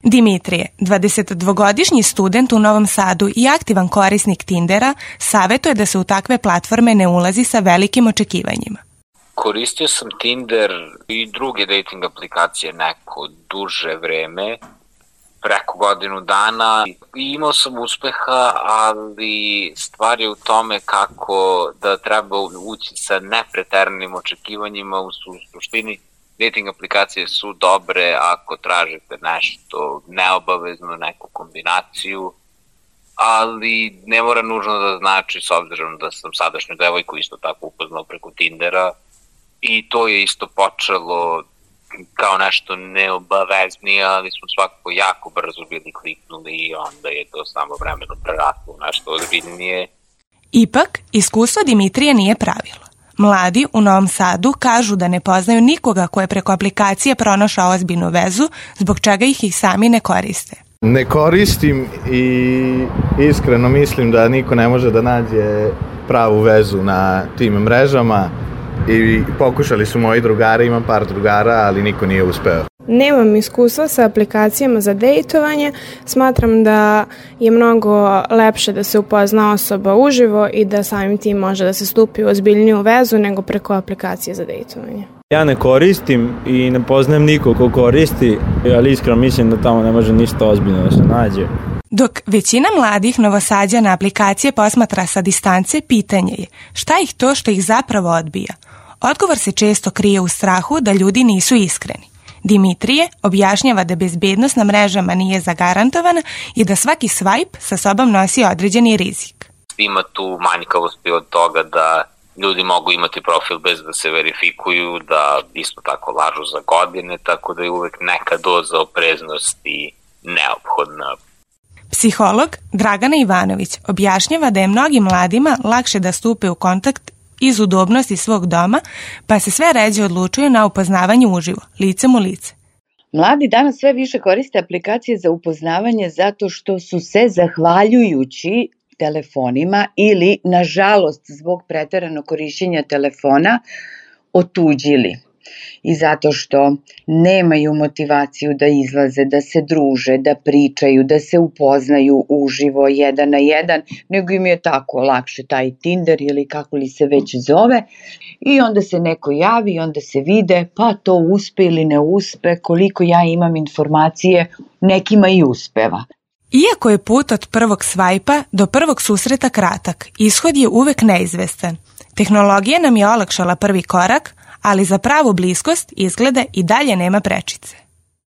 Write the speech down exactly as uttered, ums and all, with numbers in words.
Dimitrije, dvadesetdvogodišnji student u Novom Sadu i aktivan korisnik Tindera, savjetuje da se u takve platforme ne ulazi sa velikim očekivanjima. Koristio sam Tinder i druge dating aplikacije neko duže vreme, preko godinu dana. I imao sam uspeha, ali stvar je u tome kako da treba ući sa nepreteranim očekivanjima. U suštini dating aplikacije su dobre ako tražite nešto neobavezno, neku kombinaciju, ali ne mora nužno da znači, s obzirom da sam sadašnju devojku isto tako upoznao preko Tindera, i to je isto počelo kao nešto neobaveznije, ali smo svakako jako brzo bili kliknuli i onda je to samo vremeno preraslo u nešto ozbiljnije. Ipak, iskustvo Dimitrije nije pravilo. Mladi u Novom Sadu kažu da ne poznaju nikoga ko je preko aplikacije pronašao ozbiljnu vezu, zbog čega ih i sami ne koriste. Ne koristim i iskreno mislim da niko ne može da nađe pravu vezu na tim mrežama. I pokušali su moji drugari, imam par drugara, ali niko nije uspeo. Nemam iskustva sa aplikacijama za dejtovanje. Smatram da je mnogo lepše da se upozna osoba uživo i da samim tim može da se stupi u ozbiljniju vezu nego preko aplikacije za dejtovanje. Ja ne koristim i ne poznajem nikog ko koristi, ali iskreno mislim da tamo ne može ništa ozbiljno da se nađe. Dok većina mladih Novosađana aplikacije posmatra sa distance, pitanje je šta ih to što ih zapravo odbija. Odgovor se često krije u strahu da ljudi nisu iskreni. Dimitrije objašnjava da bezbednost na mrežama nije zagarantovana i da svaki swipe sa sobom nosi određeni rizik. Ima tu manjkavosti od toga da ljudi mogu imati profil bez da se verifikuju, da isto tako lažu za godine, tako da je uvek neka doza opreznosti neophodna. Psiholog Dragana Ivanović objašnjava da je mnogim mladima lakše da stupe u kontakt iz udobnosti svog doma, pa se sve ređe odlučuju na upoznavanje uživo, licem u lice. Mladi danas sve više koriste aplikacije za upoznavanje zato što su se, zahvaljujući telefonima ili, nažalost, zbog preteranog korišćenja telefona, otuđili. I zato što nemaju motivaciju da izlaze, da se druže, da pričaju, da se upoznaju uživo jedan na jedan, nego im je tako lakše taj Tinder ili kako li se već zove. I onda se neko javi, onda se vide, pa to uspe ili ne uspe, koliko ja imam informacije, nekima i uspeva. Iako je put od prvog svajpa do prvog susreta kratak, ishod je uvek neizvestan. Tehnologija nam je olakšala prvi korak, ali za pravu bliskost izgleda i dalje nema prečice.